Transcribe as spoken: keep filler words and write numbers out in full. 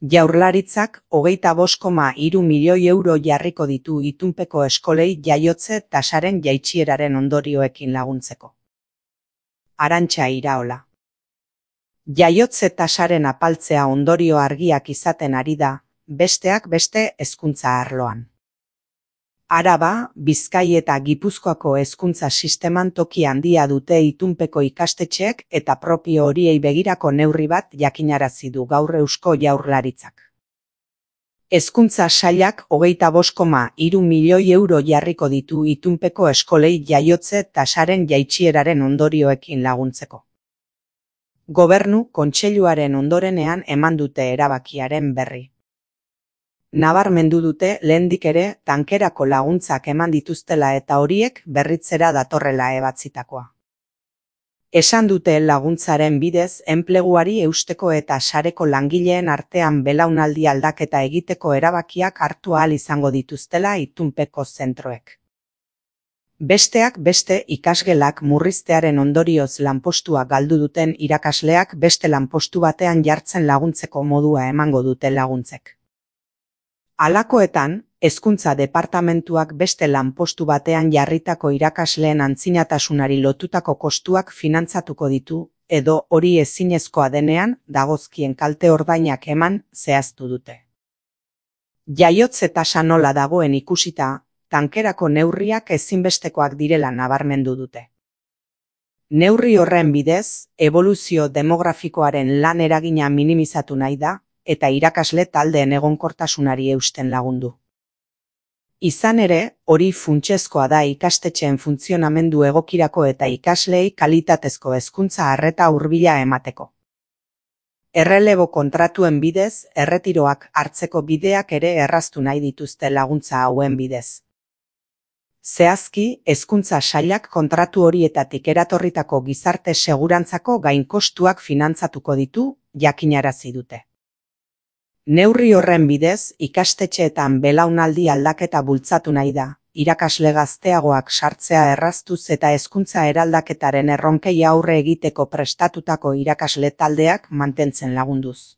Jaurlaritzak hogeita bost koma hiru milioi euro jarriko ditu itunpeko eskolei jaiotze tasaren jaitsieraren ondorioekin laguntzeko. Arantxa Iraola. Jaiotze tasaren apaltzea ondorio argiak izaten ari da, besteak beste hezkuntza arloan. Araba, Bizkai eta Gipuzkoako hezkuntza sisteman toki handia dute itunpeko ikastetxeek eta propio horiei begirako neurri bat jakinarazi du gaur Eusko Jaurlaritzak. Hezkuntza sailak hogeita bost koma hiru milioi euro jarriko ditu itunpeko eskolei jaiotze tasaren jaitsieraren ondorioekin laguntzeko. Gobernu Kontseiluaren ondorenean eman dute erabakiaren berri. Nabarmendu dute lehendik ere tankerako laguntzak eman dituztela eta horiek berritzera datorrela ebatzitakoa. Esan dute laguntzaren bidez enpleguari eusteko eta sareko langileen artean belaunaldi aldaketa egiteko erabakiak hartu ahal izango dituztela itunpeko zentroek. Besteak beste ikasgelak murriztearen ondorioz lanpostua galdu duten irakasleak beste lanpostu batean jartzen laguntzeko modua emango dute laguntzek. Halakoetan, hezkuntza departamentuak beste lanpostu batean jarritako irakasleen antzinatasunari lotutako kostuak finantzatuko ditu, edo hori ezinezkoa denean dagozkien kalte ordainak eman zehaztu dute. Jaiotze tasa nola dagoen ikusita, tankerako neurriak ezinbestekoak direla nabarmendu dute. Neurri horren bidez, eboluzio demografikoaren lan eragina minimizatu nahi da, eta irakasle taldeen egonkortasunari eusten lagundu. Izan ere, hori funtsezkoa da ikastetxeen funtzionamendu egokirako eta ikasleei kalitatezko hezkuntza arreta hurbila emateko. Errelebo kontratuen bidez, erretiroak hartzeko bideak ere erraztu nahi dituzte laguntza hauen bidez. Zehazki, hezkuntza sailak kontratu horietatik eratorritako gizarte segurantzako gainkostuak finantzatuko ditu, jakinarazi dute. Neurri horren bidez, ikastetxeetan belaunaldi aldaketa bultzatu nahi da, irakasle gazteagoak sartzea erraztuz eta hezkuntza eraldaketaren erronkei aurre egiteko prestatutako irakasle taldeak mantentzen lagunduz.